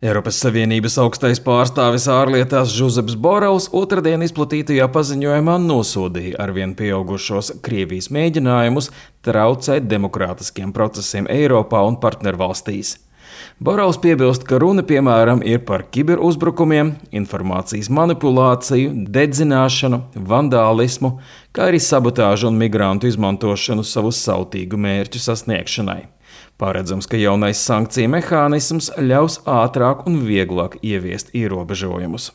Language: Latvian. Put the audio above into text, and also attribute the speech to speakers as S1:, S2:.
S1: Eiropas Savienības augstais pārstāvis ārlietās Žuzeps Borels otrdien izplatītajā paziņojumā nosodīja arvien pieaugušos Krievijas mēģinājumus traucēt demokrātiskiem procesiem Eiropā un partnervalstīs. Borels piebilst, ka runa piemēram ir par kiberuzbrukumiem, informācijas manipulāciju, dedzināšanu, vandālismu, kā arī sabotāžu un migrantu izmantošanu savu sautīgu mērķu sasniegšanai. Paredzams, ka jaunais sankciju mehānisms ļaus ātrāk un vieglāk ieviest ierobežojumus.